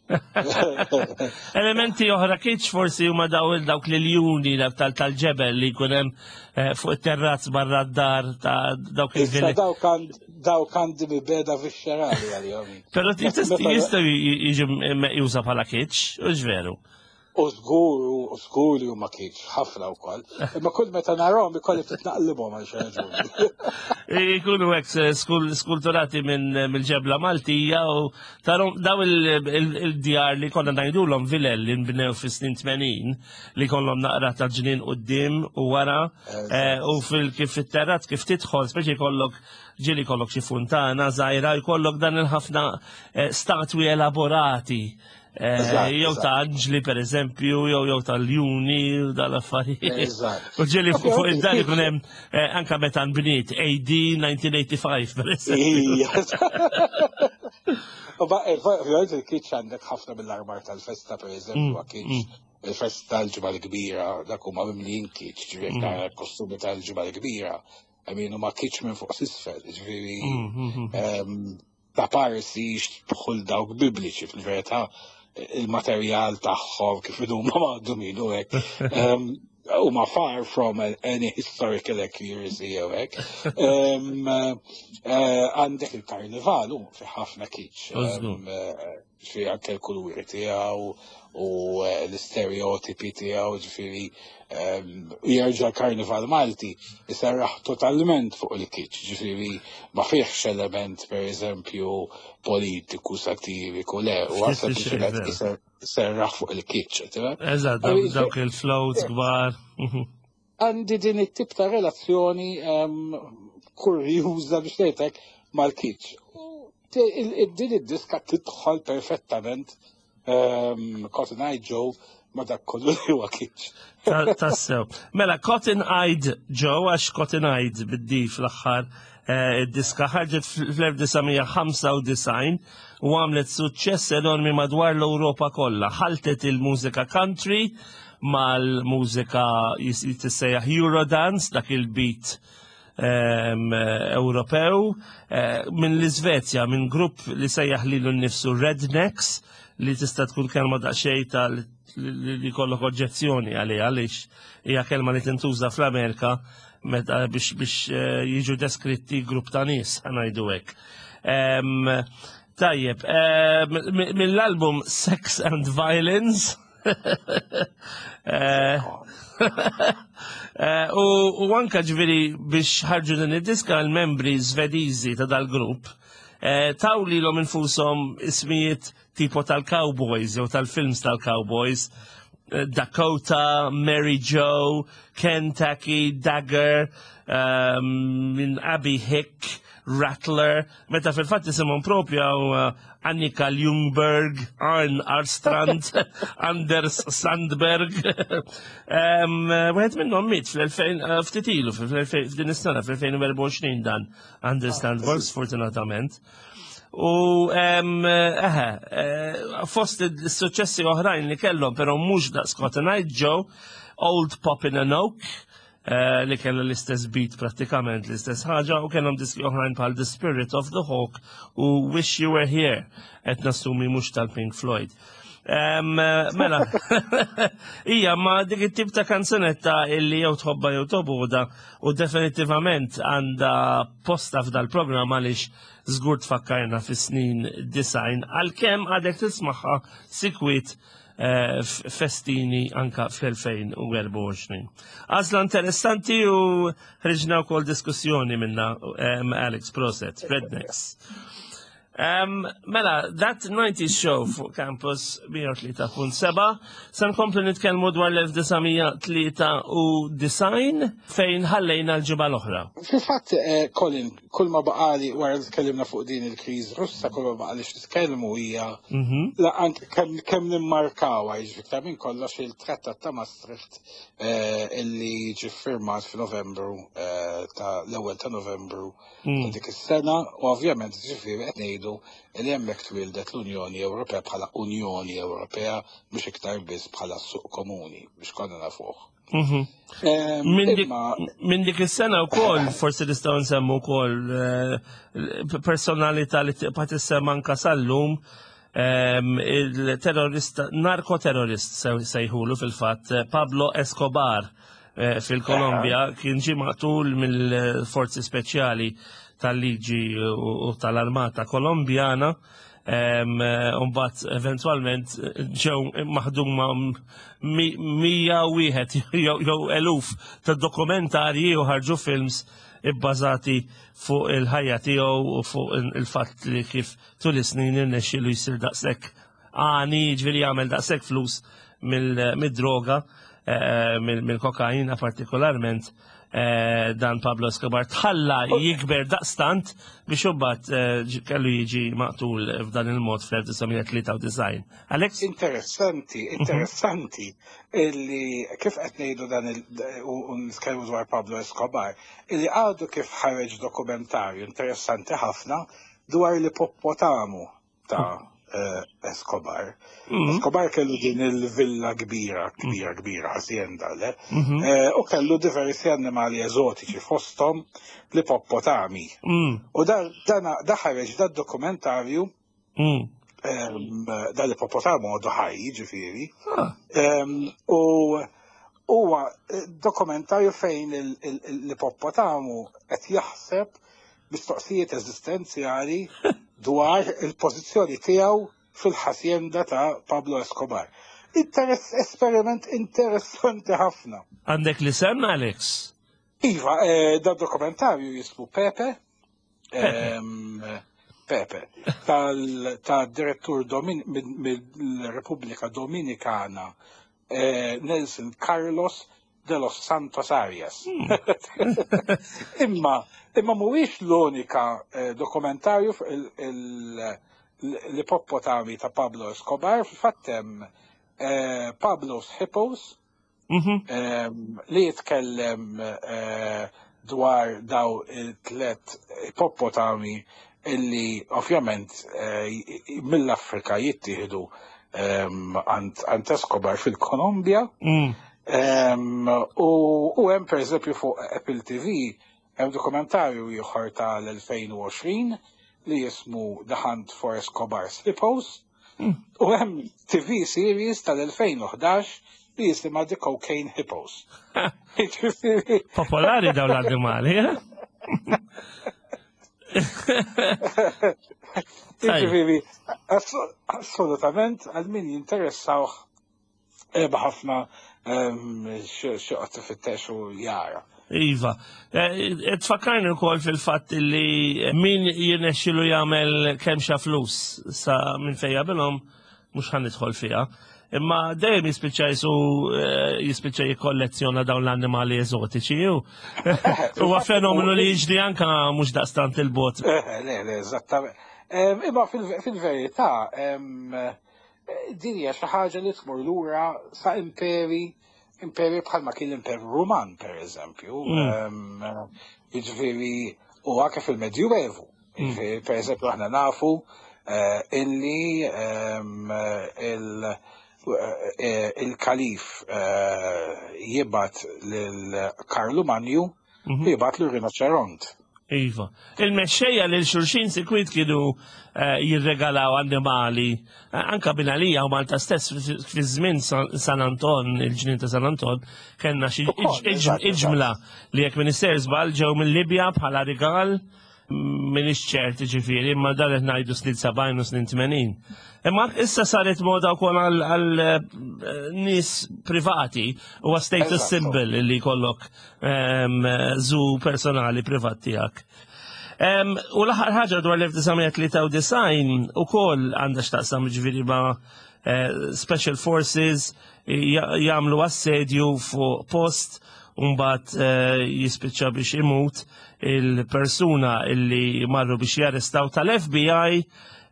Elementi oħra kitsch forsi huma daw dawk l-iljuni tal- tal-ġebel li jkun hemm eh, fuq it-terrazz barra d-dar ta' dawk Issa il-villi. dawk għand- dawk għandi mibegħda viscerali għalihom. Però jistgħu jiġu meqjusa bħala kitsch, u veru? U żgur, u żgur li huma kitsch, ħafna wkoll. Imma kull meta narahom ikolli ftit naqlibhom għal xi raġuni. Ikunu hekk skul- skulturati minn mill-ġebla Maltija u tarom daw il- il- il-djar li konna ngħidulhom vilel li nbnew fis-snin tmenin, li kollhom naqra ta' ġnien quddiem u wara eh, u fil kif fit-terrazz kif tidħol, speċi jkollok, ġieli kollok xi funtana żgħira, jkollok dan il-ħafna eh, statwi elaborati. Eh, Eżatt, jew eżatt. ta' anġli, per eżempju, jew jew ta' ljuni u dal-affarijiet. Eżatt. U ġieli fuq fuq id-dar Ovvjament, ikun hemm eh, anka meta nbniet A D elf disa' mija u tmienja u disgħin, per eżempju. Ija. U ba- eh, ovvjament il-kitsch għandek ħafna mill-armar tal-festa, per eżempju, Mm, kitsch. Il-festa tal-Ġimgħa l-Kbira, dak huma mimlijin kitsch, ġifieri Mm. tara kostumi tal-Ġimgħa l-Kbira. I mean, huma kitsch minn fuq s'isfel, ġifieri Mm, mm, mm. em, ta' parsi x'dħul dawk bibliċi, fil-verità il-materjal tagħhom kif huma maħdumin u hekk. Em, Huma far from any historical accuracy jew hekk. Eh, għandek il-karnival u fi ħafna kitsch. Fi anke l-kuluri tiegħu u eh, l-stereotipi tiegħu, ġifieri jerġa' l-karnival Malti jserraħ totalment fuq il-kitsch, ġifieri ma fihx element, per eżempju, politiku, satiriku, le, u għasab serraħ fuq il-kitsch. Eżatt, dawk il-floats kbar. Mhm. Għandi din it-tip ta' relazzjoni kurjuża, biex ngħidlek, mal-kitsch. Din id-diska tidħol perfettament, Cotton Eye Joe, ma dak kollu li huwa kitsch. Tassew. Mela, Cotton Eyed Joe, għax Cotton Eyed bid-D fl-aħħar, eh, id-diska ħarġet fl-elf disa' mija ħamsa u disgħin u għamlet suċċess enormi madwar l-Ewropa kollha. Ħaltet il-mużika country mal-mużika jissejjaħ Eurodance, dak il-beat Ewropew, eh, minn l-Iżvezja, minn grupp li sejjaħ lilu nnifsu Rednecks, li tista' tkun kelma daqsxejn ta' li kollok oġġezzjoni għalija, għaliex hija kelma li tintuża fl-Amerika meta biex biex eh, jiġu deskritti grupp ta' nies, ħa ngħidu hekk. Tajjeb, mill-album Sex and Violence, eh, eh, u anka ġifieri biex ħarġu din id-diska, l-membri Svediżi ta' dal-grupp taw lilhom infushom ismijiet tipo tal-cowboys jew tal-films tal-cowboys: Dakota, Mary Joe, Kentucky, Dagger, um, minn Abby Hick, Rattler, meta fil-fatt isimhom propja uh, Annika Ljungberg, Arn Arstrand, Anders Sandberg. um, Wieħed minnhom miet fl-elfejn, uh, ftit ilu, f'din is-sena, fl-elfejn u erbgħa u għoxrin, dan Anders Sandberg, sfortunatament. U eħe, eh, fost il-suċessi oħrajn li kellhom, però mhux daqs Cotton Eye Joe, Old Pop in an Oak, eh, li kellha l-istess beat prattikament, l-istess ħaġa, u kellhom diski oħrajn bħal The Spirit of the Hawk u Wish You Were Here, qed nassumi mhux tal-Pink Floyd. Um, mela, ija, ma dik it-tip ta' kanzunetta illi jew tħobba jew tobgħodha u definitivament għandha posta f'dal programm għaliex żgur tfakkarna fis-snin disgħin, għalkemm għadek tismagħha sikwit eh, festini anka fl-elfejn u erbgħa u għoxrin. Għażla interessanti u ħriġna wkoll diskussjoni minna, Alex, prosit, Rednecks. Um, mela, That nineties Show fuq Campus mija u tlieta punt seba', se nkomplu nitkellmu dwar l-elf disa' mija tlieta u disgħin fejn ħallejna l-ġimgħa l-oħra. Fil-fatt, eh, Colin, kull ma baqali wara li tkellimna fuq din il-kriż Russa, kull ma baqali x'nitkellmu hija Mhm. la anke kemm kemm nimmarkaw, jiġifieri minn kollox, il-Trattat ta' Maastricht eh, illi ġie firmat f'Novembru, eh, ta' l-ewwel ta' Novembru ta' Mm. dik is-sena, u ovvjament ġifieri qed ngħidu li hemmhekk twildet l-Unjoni Ewropea bħala Unjoni Ewropea, mhux iktar biss bħala suq komuni biex konna nafuh. Mhm. Em, Min dik, Imma min dik is-sena wkoll forsi nistgħu nsemmu wkoll eh, personalità li tibqa' tissemma anka sal-lum, em, il-terrorista, narkoterrorist sejħulu fil-fatt, eh, Pablo Escobar, eh, fil-Kolombja, kien ġie maqtul mill-forzi speċjali tal-liġi u u tal-armata kolombjana. em, eh, Umbat eventualment ġew maħduma mi- mija wieħed jew jew eluf ta' dokumentarji u ħarġu films ibbażati fuq il-ħajja tiegħu u fuq il-fatt li kif tul is-snin irnexxielu jsir daqshekk għani, ġifieri jagħmel daqshekk flus mill- mid-droga, eh, mill- mill-kokaina partikolarment, eh, dan Pablo Escobar tħalla jikber daqstant biex imbagħad eh, ġi- kellu jiġi maqtul f'dan il-mod fl-elf disa' mija tlieta u disgħin. Alex? Interessanti, interessanti illi kif qed ngħidu dan il u u nitkellmu dwar Pablo Escobar, illi għadu kif ħareġ dokumentarju interessanti ħafna dwar l-ippopotamu ta' eh, Escobar. Mhm. Escobar kellu din il-villa kbira, kbira, kbira, hacienda, le? Mhm. Eh, u kellu diversi annimali eżotiċi, fosthom l-ippopotami. Mm, U da, dana- da ħareġ da dokumentarju mm. em, dal-ippopotamu għadu ħaj, ġifieri. Ah, Em, U Huwa eh, dokumentarju fejn il- il- l-ipoppotamu qed jaħseb mistoqsijiet eżistenzjali dwar il-pożizzjoni tiegħu fil-ħasjenda ta' Pablo Escobar. Interess, esperiment interessanti ħafna. Għandek l-isem, Alex? Iva, eh, da dokumentarju jismu Pepe. Ehm, Pepe, tal ta' direttur Domin- minn- mill-Repubblika Dominikana, eh, Nelson Carlos de los Santos Arias. Imma, imma mhuwiex l-unika eh, dokumentarju fuq il- il- l-ippopotami ta' Pablo Escobar, fil-fatt hemm eh, Pablo's Hippos, Mhm. em, li jitkellem eh, dwar daw il-tlet ippopotami illi ovvjament eh, mill-Afrika jittieħdu em, għand għand Escobar fil-Kolombja. Mm. Em, U u hemm pereżempju fuq Apple T V hemm dokumentarju ieħor tal-elfejn u għoxrin li jismu The Hunt for Escobar's Hippos. Mm. U hemm T V series tal-elfejn u ħdax li jisimha The Cocaine Hippos. Jiġifieri, Popolari dawn l-annimali, eh? Tajjeb. Jiġifieri, ass- assolutament għal min jinteressawh eh, ħafna x'joqgħod ifittex u jara. Iva. Eh, Tfakkarni wkoll fil-fatt li min jirnexxilu jagħmel kemm flus sa minn fejja bilhom, mhux ħa nidħol fiha. Imma dejjem jispiċċa jisu eh, jispiċċa jikkollezzjona dawn l-annimali eżotiċi. u Huwa fenomenu li jiġri anka mhux daqstant il-bot. Eh, Le, le, eżattament. Em, Imma fil- fil-verità, em, eh, din hija xi ħaġa li tmur lura sa imperi, imperi bħalma kien l-Imperu Ruman, per eżempju. Mm. Em, Jiġifieri, u anke fil-Medjuevu. Jiġifieri, per eżempju, aħna nafu eh, illi em, il- eh, il-kalif eh, jibgħat lil Karlu Manju, Mhm. jibgħat lil rinoċeront. Iva. Il-mexxejja lil xulxin sikwit kienu eh, jirregalaw annimali, eh, anka binalija u Malta stess fi fi żmien San San Anton, il-ġnien ta' San Anton, kellna xi Ukoll, iġ- eżatt, iġmla li jekk minister żball ġew mill-Libja bħala rigal, minix ċert ġifieri, imma dan qed ngħidu snin sebgħin u snin tmenin. Imma issa saret moda wkoll għal għal, eh, nies privati u status Eżattu. symbol li jkollok em, zoo personali privat tiegħek. Em, U l-aħħar ħaġa dwar l-elf disa' mija tlieta u disgħin ukoll għandha x'taqsam ġifieri ma' eh, Special Forces ja- jagħmlu assedju fuq post u mbagħad eh, jispiċċa biex imut il-persuna illi marru biex jarrestaw tal-F B I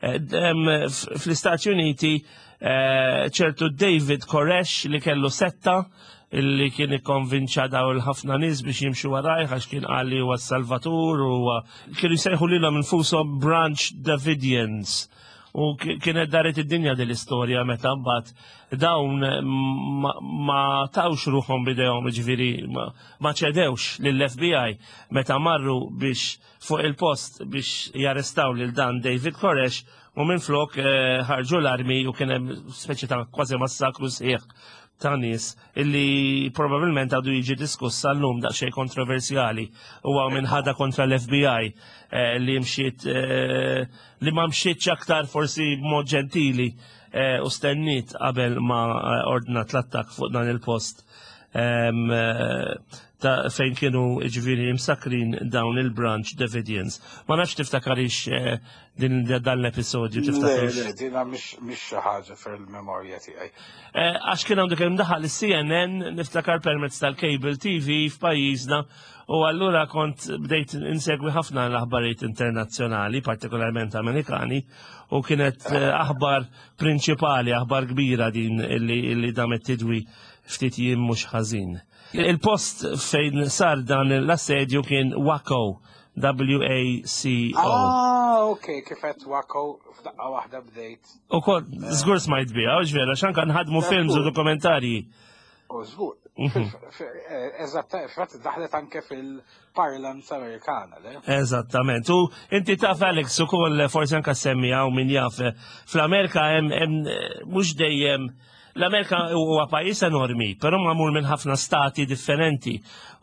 eh, em, f- fl-Istati Uniti, eh, ċertu David Koresh li kellu setta illi kien ikkonvinċa daw il-ħafna nies biex jimxu warajh għax kien qal li huwa Salvatur u kienu jsejħu lilhom infushom Branch Davidians. U ki- kienet daret id-dinja din l-istorja meta mbagħad dawn ma, ma tawx ruħhom bidejhom, ġifieri ma, ma ċedewx lill-F B I meta marru biex fuq il-post biex jarrestaw lil dan David Koresh u minn flok eh, ħarġu l-armi u kien hemm speċi ta' kważi massakru sħiħ ta' nies illi probabilment għadu jiġi diskuss għallum, daqsxejn kontroversjali u għaw minn ħada kontra l-F B I eh, li mxiet eh, li ma mxietx aktar forsi b'mod ġentili eh, u stenniet qabel ma eh, ordnat l-attak fuq dan il-post em, eh, ta' fejn kienu ġifieri imsakrin dawn il-Branch Davidians. Ma nafx tiftakarix eh, din dan l-episodju, Le, tiftakarix. le, dina mhix mhix xi ħaġa fil-memorja tiegħi. Eh, Għax kien għandu kemm daħal il-C N N, niftakar, permezz tal-cable T V f'pajjiżna u allura kont bdejt insegwi ħafna l-aħbarijiet internazzjonali, partikolarment Amerikani, u kienet eh, aħbar prinċipali, aħbar kbira din illi, illi damet tidwi ftit jiem mhux ħażin. Il-post fejn sar dan l-assedju kien Waco, W A C O. Ah, ok, kifet Waco, f'daqqa waħda bdejt. U kol, żgur smajt biha, u ġvera, xanka nħadmu films u dokumentarji. U żgur. Mhm. Eżatt, fatt daħlet anke fil-parlance Amerikana, le? Eżattament. U inti taf, Alex, u koll forsi anka semmi għaw min jaf, fl-Amerika hemm hemm, eh, mhux dejjem L-Amerika huwa pajjiż enormi, però magħmul minn ħafna stati differenti.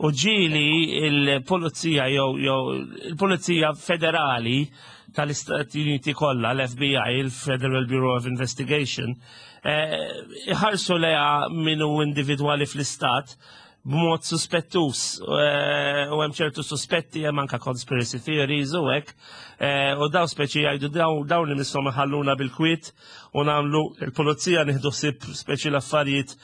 U ġieli il-pulizija jew jew il-Pulizija Federali tal-Istati Uniti kollha, l-F B I, il-Federal Bureau of Investigation, eh, iħarsu lejha minnu individwali fl-istat b'mod suspettus eh, u hemm ċertu suspetti, hemm anka conspiracy theories u hekk eh, u daw speċi jgħidu daw dawn li misshom iħalluna bil-kwiet u nagħmlu il-pulizija, nieħdu ħsieb speċi l-affarijiet,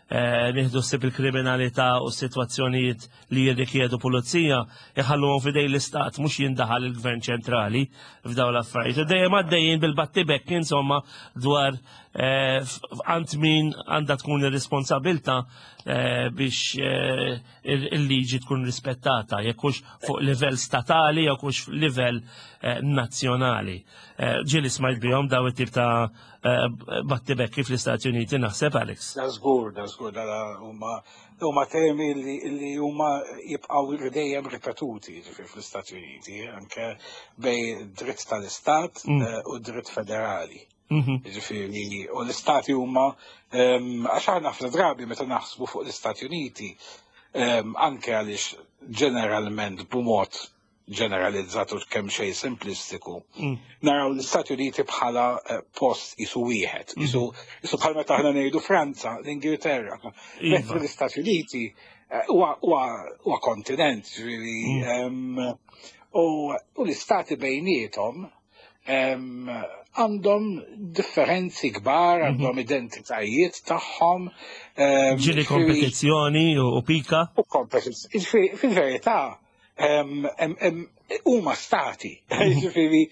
eh, nieħdu ħsieb il-kriminalità u situazzjonijiet li jirrikjedu pulizija, iħalluhom f'idejn l-istat, mhux jindaħal il-gvern ċentrali f'dawn l-affarijiet. U dejjem għaddejjin bil-battibekk insomma dwar eh, għand min għandha tkun ir-responsabilità eh, biex eh, il-liġi tkun rispettata, jekk hux fuq livell statali jew hux fuq livell eh, nazzjonali. Eh, Ġieli smajt bihom daw it-tip ta' eh, battibekki fl-Istati Uniti, naħseb, Alex. Da żgur, da żgur, da huma huma temi li li huma jibqgħu dejjem ripetuti, ġifieri fl-Istati Uniti, anke bejn dritt tal-Istat Mm. eh, u dritt federali. Mhm. Ġifieri, u l-istati huma em, għax aħna ħafna drabi meta naħsbu fuq l-Istati Uniti, em, anke għaliex ġeneralment b'mod ġeneralizzat u kemm xejn simplistiku, Mm. naraw l-Istati Uniti bħala eh, post isu wieħed, isu isu bħal meta aħna ngħidu Franza, l-Ingilterra. Iva. Mentre l-Istati Uniti eh, huwa huwa huwa kontinent, ġifieri, em, u u l-istati bejniethom em, għandhom differenzi kbar, għandhom identitajiet tagħhom. em, Ġieli ġifieri- kompetizzjoni u u pika. U kompetizzjoni. Ġifieri, fil-verità, em, em, em, huma stati. Ġifieri,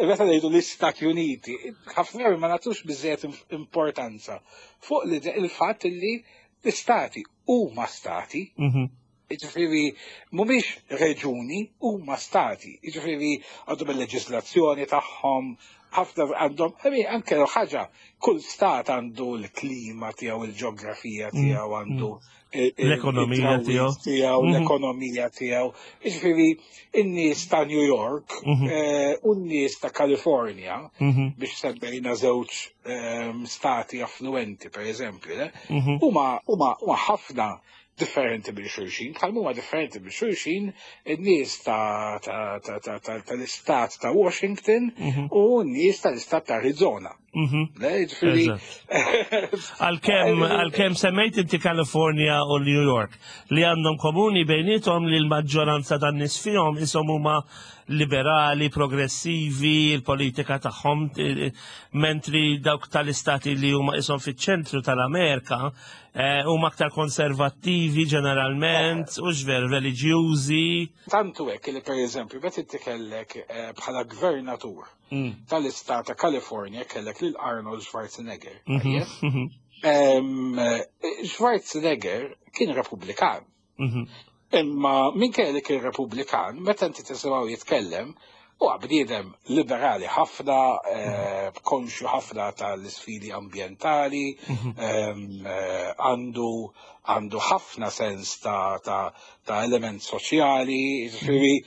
meta ngħidu l-Istati Uniti, ħafna drabi ma nagħtux biżejjed importanza fuq li il-fatt li l-istati huma stati. Mhm. Ġifieri, mhumiex reġuni, huma stati. Ġifieri, għandhom il-leġislazzjoni tagħhom, ħafna għandhom, I mean, anke l ħaġa, kull stat għandu l-klima tiegħu, il-ġeografija tiegħu, għandu il- il- L-ekonomija id-drawwiet tiegħu. tiegħu, Mhm. l-ekonomija tiegħu. Ġifieri, in-nies ta' New York Mhm. eh, u n-nies ta' California, Mhm. biex semmejna żewġ ehm, stati affluenti, per eżempju, le? Mhm. huma huma huma ħafna differenti minn xulxin, bħal huma differenti minn xulxin in-nies ta' ta' ta' ta' ta' tal-istat ta' Washington Mhm. u n-nies tal-istat ta' Arizona. Mhm. Le, ġifieri. Għalkemm għalkemm semmejt inti California u New York, li għandhom komuni bejnietom li l-maġġoranza tan-nies fihom ishom huma liberali, progressivi, il-politika tagħhom, eh, mentri dawk tal-istati li huma ishom fiċ-ċentru tal-Amerika eh, huma aktar konservattivi ġeneralment, u xver reliġjużi. Tantu hekk li, per eżempju, meta inti kellek eh, bħala gvernatur Mm. tal-istat ta' California kellek lil Arnold Schwarzenegger. Mhm, Tajjeb? mhm, Em, eh, Schwarzenegger kien Repubblikan. mhm. Imma minkejja li kien Repubblikan, meta inti tisimgħu jitkellem, huwa bniedem liberali ħafna, eh, konxju ħafna tal-isfidi ambjentali, em, eh, għandu għandu ħafna sens ta', ta, ta' element soċjali, ġifieri,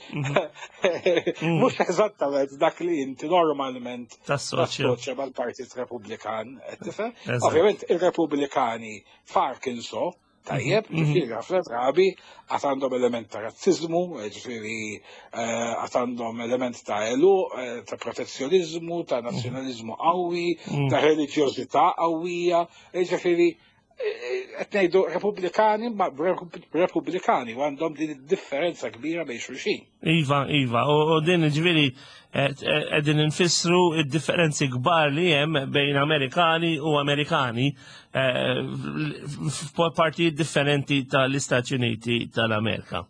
mhux eżattament dak li inti normalment Tassoċja. tassoċja mal-Partit Repubblikan, qed tifhem? Eżatt. Ovvjament ir-Repubblikani f'Arkansas, tajjeb, ġifieri ħafna drabi għad għandhom element ta' razzizmu, ġifieri eh, għad għandhom element ta' elu, eh, ta' protezzjonizmu, ta' nazzjonalizmu qawwi, ta' reliġjożità qawwija, ġifieri eh, qed ngħidu Repubblikani ma Repubblikani u għandhom din id-differenza kbira bejn xulxin. Iva, Iva, u, u din ġifieri qegħdin infissru id-differenzi kbar li hemm bejn Amerikani u Amerikani eh, f'partijiet differenti tal-Istati Uniti tal-Amerika.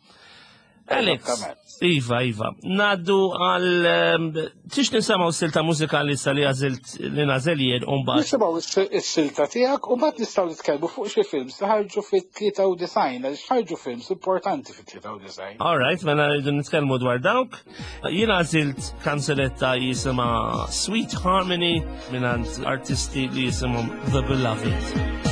Alex, Eżattament. Iva, Iva, ngħaddu għal, ehm, tix nisimgħu silta mużikali sa li għażilt li nagħżel jien u mbagħad. Nisimgħu is-silta tiegħek u mbagħad nistgħu nitkellmu fuq xi films li ħarġu fit-tlieta u disgħin, għaliex ħarġu films importanti fit-tlieta u disgħin. All right, mela rridu nitkellmu dwar dawk. Jien għażilt kanzunetta jisimha Sweet Harmony mingħand artisti li jisimhom The Beloved.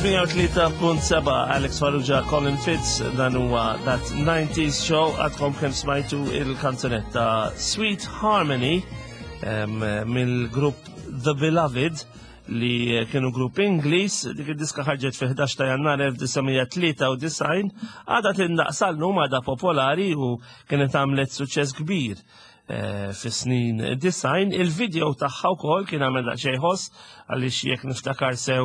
mija u tlieta punt seba', Alex Farrugia, Colin Fitz, dan huwa That nineties Show. Għadkom kemm smajtu il-kanzunetta Sweet Harmony em, mill-grupp The Beloved, li kienu grupp Ingliż. Dik id-diska ħarġet fi ħdax ta' Jannar elf disa' mija tlieta u disgħin, għadha tindaqq sal-lum, għadha popolari u kienet għamlet suċċess kbir eh, fi snin disgħin. Il-video tagħha wkoll kien għamel daqsxejn ħoss, għaliex jekk niftakar sew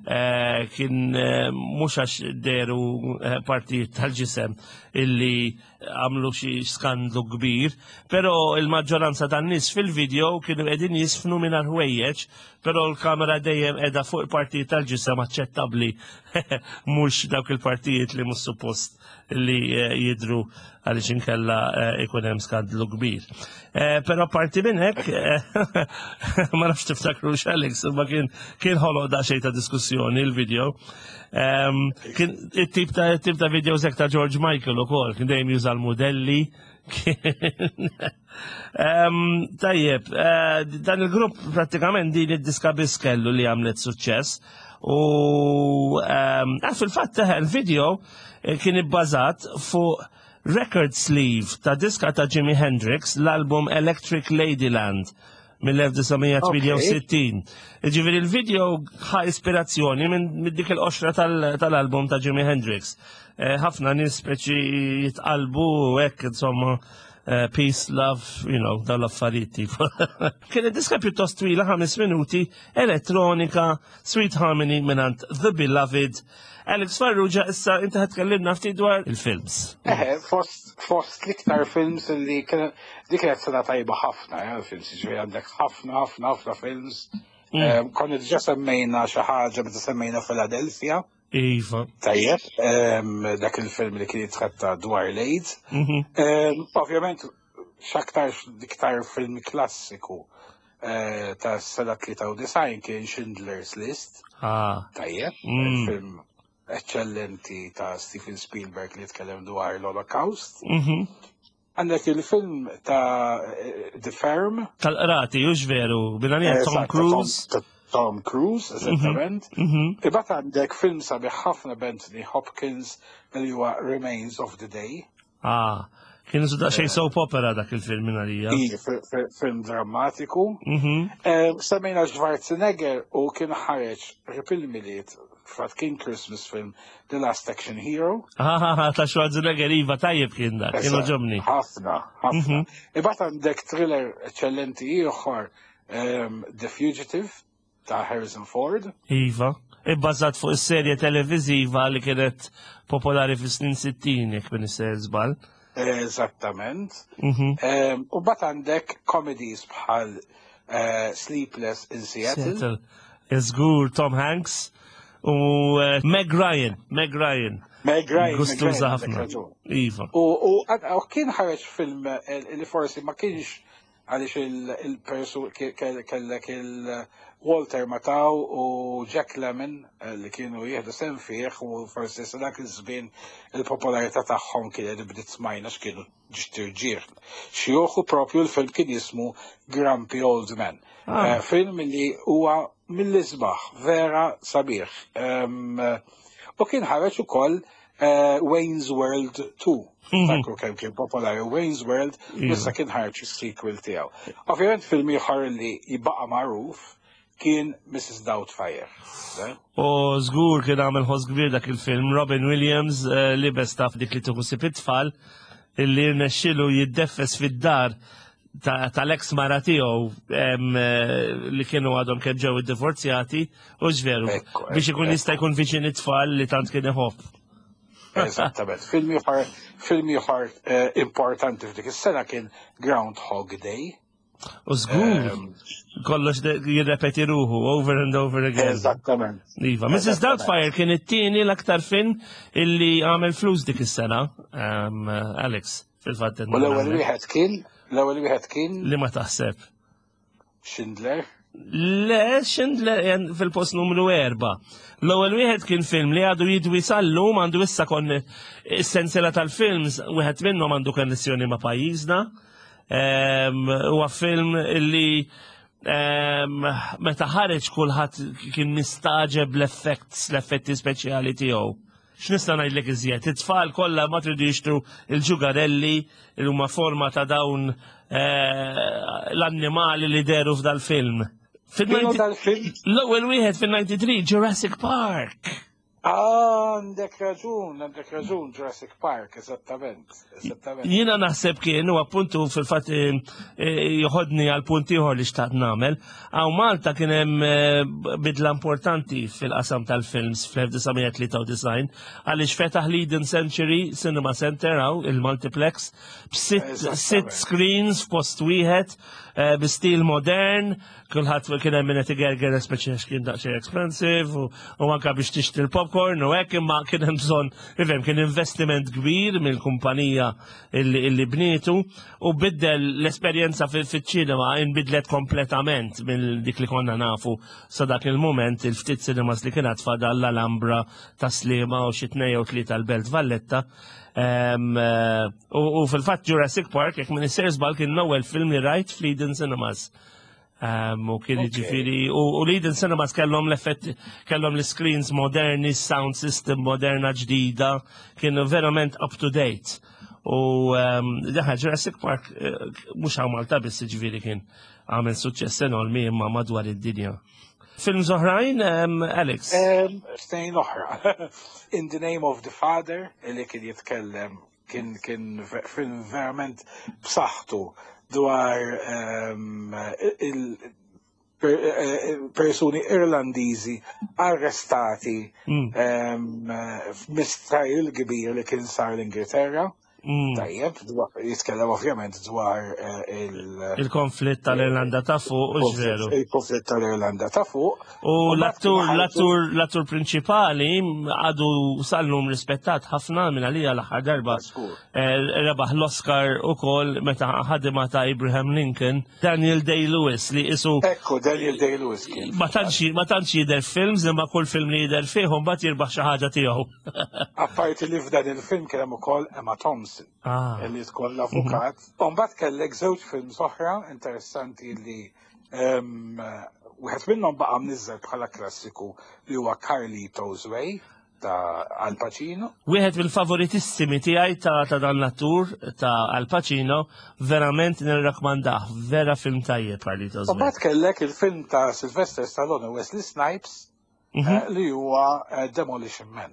eh, kien eh, mhux għax deru eh, partijiet tal-ġisem illi għamlu xi skandlu kbir, però il-maġġoranza tan-nies fil-video kienu qegħdin jiżfnu mingħajr ħwejjeġ, però l-kamera dejjem qiegħda fuq il-partijiet tal-ġisem aċċettabbli, mhux dawk il-partijiet li mhux suppost li eh, jidru, għaliex inkella eh, ikun hemm skandlu kbir. Eh, Però parti minn hekk, eh, ma nafx tiftakru Alex, ma kien kien ħoloq daqsxejn ta' diskussjoni il-video. Em, Kien it-tip ta' it-tip ta' video hekk ta' George Michael ukoll, kien dejjem juża l-modelli. Em, Tajjeb, eh, dan il-grupp prattikament din id-diska biss kellu li għamlet suċċess. U em, ah, fil-fatt eh, il-video eh, kien ibbażat fuq record sleeve ta' diska ta' Jimi Hendrix, l-album Electric Ladyland mill-elf disa' mija tmienja u sittin. Ġifieri il-video ħa ispirazzjoni minn minn dik il-qoxra tal- tal-album ta' Jimi Hendrix. Eh, Ħafna nies speċi jitqalbu u hekk, insomma, eh, peace, love, you know, dawn l-affarijiet tipo. Kienet diska pjuttost twila, ħames minuti, elettronika, Sweet Harmony mingħand The Beloved. Alex Farrugia, issa inti ħa tkellimna ftit dwar il-films. Eħe, fost, fost l-iktar films li kien, dik kienet sena tajba ħafna, ja, films, ġifieri għandek ħafna, ħafna, ħafna films. Mm. Eh, Konna diġà semmejna xi ħaġa meta semmejna Philadelphia. Iva. Tajjeb, em, dak il-film li kien jitratta dwar l-AIDS. Mhm. Em, Ovvjament, x'aktar iktar film klassiku eh, ta' sena tlieta u disgħin kien Schindler's List. Ah. Tajjeb, Mm. film eccellenti ta' Steven Spielberg li jitkellem dwar l-Holocaust. Mhm. Għandek il-film ta' eh, The Firm. Tal-qrati, hux veru, binanija Tom Eżatt, ta' Cruise. Tom, ta' Tom Cruise, eżattament. Mhm. Imbagħad għandek film sabiħ ħafna b'Anthony Hopkins li huwa Remains of the Day. Ah, kien su daqsxejn soap opera dak il-film minn għalija. Ija, fi- fi- film drammatiku. Mhm. Eh, Semmejna Schwarzenegger u kien ħareġ qrib il-Milied, fatt kien Christmas film, The Last Action Hero. Ah, ah, ta' Schwarzenegger, iva, tajjeb kien dak, kien Eżatt, għoġobni. Ħafna, ħafna. Mhm. Imbagħad għandek thriller eccellenti ieħor, um, The Fugitive ta' Harrison Ford. Iva. Ibbażat fuq is-serje televiżiva li kienet popolari fis-snin sittin, jekk m'iniex sejjer żball. Eżattament. Mhm. Um, u mbagħad għandek comedies bħal uh, Sleepless in Seattle. Seattle. Żgur, Tom Hanks u eh, Meg Ryan, Meg Ryan. Meg Ryan, Meg Gustuża Ryan, għandek ħafna. raġun. Iva. U, u, u kien ħareġ film eh, li forsi ma kienx għaliex il-persu kellek il-Walter Matthau u Jack Lemmon eh, li kienu jieħdu sehem fih, u forsi sa dak iż-żmien il-popolarità tagħhom kienet bdiet smajna x'kienu ġiet irġiel. Xjuħu propju, l-film kien jismu Grumpy Old Men. Ah. Eh, film li huwa mill-isbaħ, vera sabiħ. Em, U kien ħareġ ukoll eh, Wayne's World two. Mhm. Takru kemm kien popolari Wayne's World, Iva. issa kien ħareġ is-sequel tiegħu. Ovvjament film ieħor li jibqa' magħruf kien Missus Doubtfire. Eh? U żgur kien għamel ħoss kbir dak il-film. Robin Williams eh, libes taf dik li tieħu ħsieb it-tfal, illi rnexxilu jiddeffes fid-dar ta- tal-ex mara tiegħu em, eh, li kienu għadhom kemm ġew iddivorzjati, u veru, Ekku, biex ikun ekku. jista' jkun viċin it-tfal li tant kien iħobb. Eżattament. Film ieħor film ieħor eh, importanti f'dik is-sena kien Groundhog Day. U żgur, Em, kollox de- jirrepeti ruħu over and over again. Eżattament. Iva, Missus Eżattament. Doubtfire kien it-tieni l-aktar film illi għamel flus dik is-sena, um, Alex, fil-fatt. U l-ewwel wieħed kien l-ewwel wieħed kien Li ma taħseb? Schindler. Le, Schindler jen fil-post numru erba. L-ewwel wieħed kien film li għadu jidwi sal-lum, għandu issa kon is-sensiela tal-films, wieħed minnhom għandu konnessjoni ma' pajjiżna. Em, Huwa film li Em, meta ħareġ kulħadd kien mistaġeb l-effects, l-effetti speċjali tiegħu. X'nista' ngħidlek iżjed? It-tfal kollha ma tridu jixtru il-ġugarelli li huma forma ta' dawn eh, l-annimali li deru f'dal-film. Kienu dal-film? L-ewwel wieħed fil-tnejn u disgħin, Jurassic Park. Għandek raġun, għandek raġun, Jurassic Park, eżattament, eżattament. Jiena naħseb kien u appuntu fil-fatt eh, eh, joħodni għal punt ieħor li xtaqt nagħmel. Hawn Malta kien hemm eh, bidla importanti fil-qasam tal-films fl-elf disa' mija tlieta u disgħin għaliex fetaħ l-Eden Century Cinema Center hawn il-multiplex b'sitt Eżattament. sitt screens f'post wieħed eh, bi stil modern, kulħadd kien hemm min qed igerger, speċi għax kien daqsxejn expensive u, u anka biex tixtri l-popcorn u hekk, imma kien hemm bżonn, ifhem, kien investiment kbir mill-kumpanija illi, illi bnietu u biddel l-esperjenza fil-ċinema, inbidlet kompletament mill dik li konna nafu sa dak il-moment, il-ftit cinemas li kienet fadal l-Alhambra ta' Sliema u xi tnejn jew tlieta l-Belt Valletta. Em, eh, U u fil-fatt Jurassic Park, jekk m'iniex sejjer żball, kien l-ewwel film li rajt fl-Eden Cinemas. Um, u kien Ok. ġifiri, u, u l-Eden Cinemas kellhom l-effett, kellhom l-screens moderni, sound system moderna ġdida, kienu verament up to date. U um, daħ Jurassic Park, eh, mhux hawn Malta biss ġifiri kien għamel suċċess enormi imma madwar id-dinja. Films oħrajn, um, Alex? Em, Tnejn oħra. In the Name of the Father, li kien jitkellem, kien kien ve- film verament b'saħħtu dwar em, il per- eh, persuni Irlandiżi arrestati Mm. em, f'mistrial kbir li kien sar l-Ingilterra. Mm. Tajjeb, dwar- jitkellem ovvjament dwar eh, il- Il-konflitt tal-Irlanda ta' fuq, u veru. il-konflitt tal-Irlanda ta' fuq. U U l-attur, mbagħad l-attur, l-attur prinċipali għadu sal-lum rispettat ħafna minn għalija, l-aħħar darba Żgur. eh, rebaħ l-Oscar u kol meta ħadima ta' Abraham Lincoln, Daniel Day-Lewis li isu Ekku, Daniel Day-Lewis kien. ma tantx ma tantx jidher films, imma kull film li jidher fih mbagħad jirbaħ xi ħaġa tiegħu. Apparti li f'dan il-film kien hemm ukoll Emma Thompson Ah. li tkun l-avukat. U mbagħad kellek żewġ films oħra interessanti li em, wieħed minnhom baqa' mniżżel bħala klassiku, li huwa Carlito's Way ta' Al Pacino. Wieħed mill-favoritissimi tiegħi ta' ta' dan l-attur ta' Al Pacino, verament nirrakmandah, vera film tajjeb Carlito's U Way. mbagħad kellek il-film ta' Sylvester Stallone u Wesley Snipes Mhm. eh, li huwa eh, Demolition Man.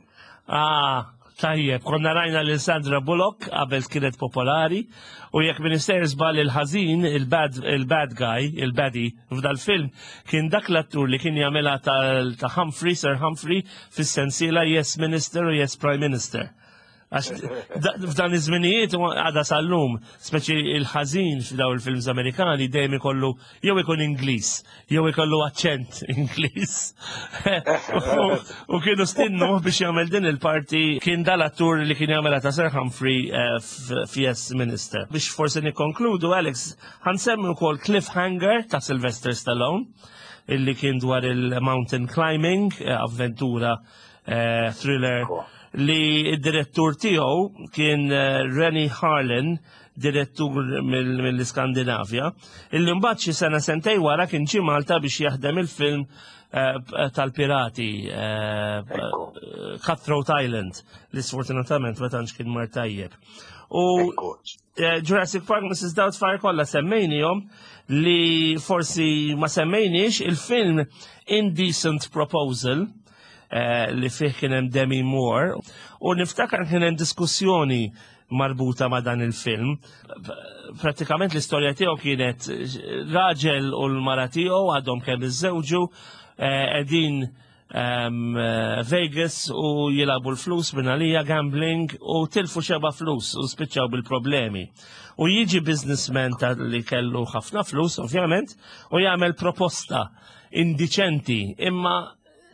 Ah, tajjeb, konna rajna lil Sandra Bullock qabel kienet popolari u jekk m'iniex sejjer żball, il-ħażin, il-bad il-bad guy, il-baddie f'dal-film kien dak l-attur li kien jagħmilha ta' ta' Humphrey, Sir Humphrey fis-sensiela Yes Minister u Yes Prime Minister. Għax da- f'dan iż-żminijiet u għada sal-lum, speċi il-ħażin f'daw il-films Amerikani dejjem ikollu jew ikun Ingliż, jew ikollu aċċent Ingliż. U- U kienu stinnu biex jagħmel din il-parti, kien dal-attur li kien jagħmel ta' Sir Humphrey eh, f'Yes Minister. Biex forsi nikkonkludu, Alex, ħa nsemmi wkoll Cliffhanger ta' Sylvester Stallone, illi kien dwar il-mountain climbing, eh, avventura, eh, thriller li id-direttur tiegħu kien eh, Renny Harlin, direttur mill- mill-Iskandinavja, illi mbagħad xi sena sentej wara kien ġie Malta biex jaħdem il-film eh, tal-pirati eh, Ekku. Cutthroat Island, li sfortunatament ma tantx kien mar tajjeb. U Ekku. eh, Jurassic Park, Missus Doubtfire kollha semmejnihom, li forsi ma semmejniex il-film Indecent Proposal eh, li fih kien hemm Demi Moore u niftakar kien hemm diskussjoni marbuta ma' dan il-film. Pratikament l-istorja tiegħu kienet raġel u l-mara tiegħu għadhom kemm iżżewġu, eh, qegħdin um, Vegas u jilagħbu l-flus minn għalija, gambling, u tilfu xeba flus u spiċċaw bil-problemi. U jiġi businessman ta' li kellu ħafna flus, ovvjament, u jagħmel proposta indiċenti, imma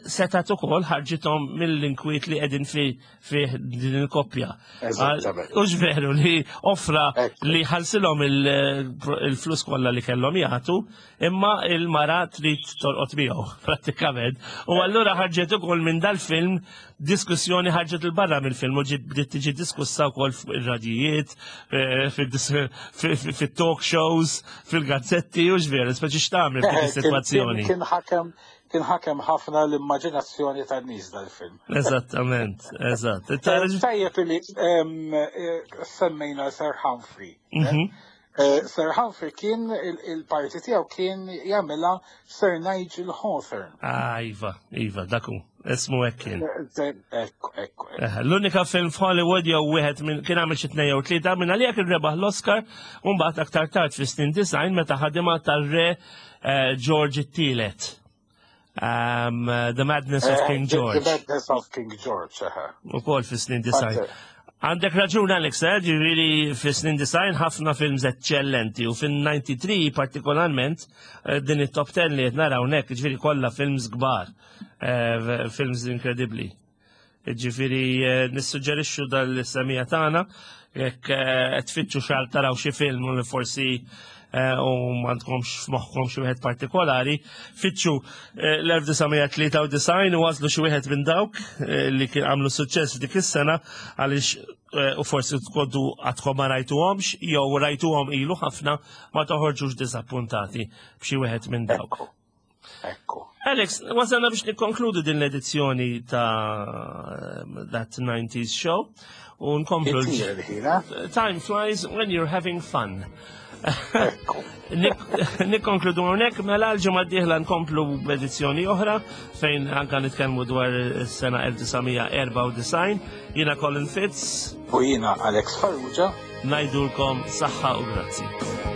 Setat ukoll ħarġithom mill-inkwiet li qegħdin fi fih din il-koppja. Eżattament. Hux veru li offra Ekku. li ħallsilhom il- il-flus kollha li kellhom jagħtu, imma il-mara trid torqod miegħu prattikament. U allura ħarġet ukoll minn dal-film diskussjoni, ħarġet il-barra mill-film u ġiet, bdiet tiġi diskussa wkoll fil-radijiet, eh, fid-dis- fi- fi- fit-talk shows, fil-gazzetti, u veru, speċi x'tagħmel f'dik Kien- is-sitwazzjoni. Kien ħakem kien ħakem ħafna l-immaġinazzjoni tan-nies dal-film. Eżattament, eżatt. Tajjeb li em, eh, semmejna Sir Humphrey. Mhm. Eh, Sir Humphrey kien il- il-parti tiegħu kien jagħmilha Sir Nigel Hawthorne. Ah, iva, iva, dak hu. Ismu hekk kien. Eh, Ekku, ekku. Eh, L-unika film f'Hollywood jew wieħed minn kien għamel xi tnejn jew tlieta minn għalija kien rebaħ l-Oscar u mbagħad aktar tard fis-snin disgħin meta ħadimha tar-re eh, George it-tielet. Um, The Madness of Eh, King The- George. The Madness of King George, eħe. Ukoll fis-snin disgħin. Għandek raġun, Alex, eh, ġifieri fis-snin disgħin ħafna films eccellenti u fin-disgħa u disgħin partikolarment eh, din it-top ten li qed naraw hawnhekk, ġifieri kollha films kbar, eh, films inkredibbli. Ġifieri eh, nissuġġerixxu dal-semija tagħna jekk eh, tfittxu xar taraw xi film u li forsi eh, u m'għandkomx f'moħħkom xi wieħed partikolari, fittxu eh, l-elf disa' mija tlieta u disgħin u għażlu xi wieħed minn dawk eh, li kien għamlu suċċess f'dik is-sena għaliex eh, u forsi tkoddu għadkom ma rajtuhomx jew rajtuhom ilu ħafna, ma toħorġux disappuntati b'xi wieħed minn dawk. Ekku. Ekku. Alex, wasalna biex nikkonkludu din l-edizzjoni ta' That nineties Show u nkomplu. Ittir il-ħin, eh? Time flies when you're having fun. Ekku. Nik- Nikkonkludu hawnhekk mela. L-ġimgħa d-dieħla nkomplu b'edizzjoni oħra fejn anka nitkellmu dwar is-sena elf disa' mija erbgħa u disgħin. Jiena Colin Fitz. U jiena Alex Farrugia. Ngħidulkom saħħa u grazzi.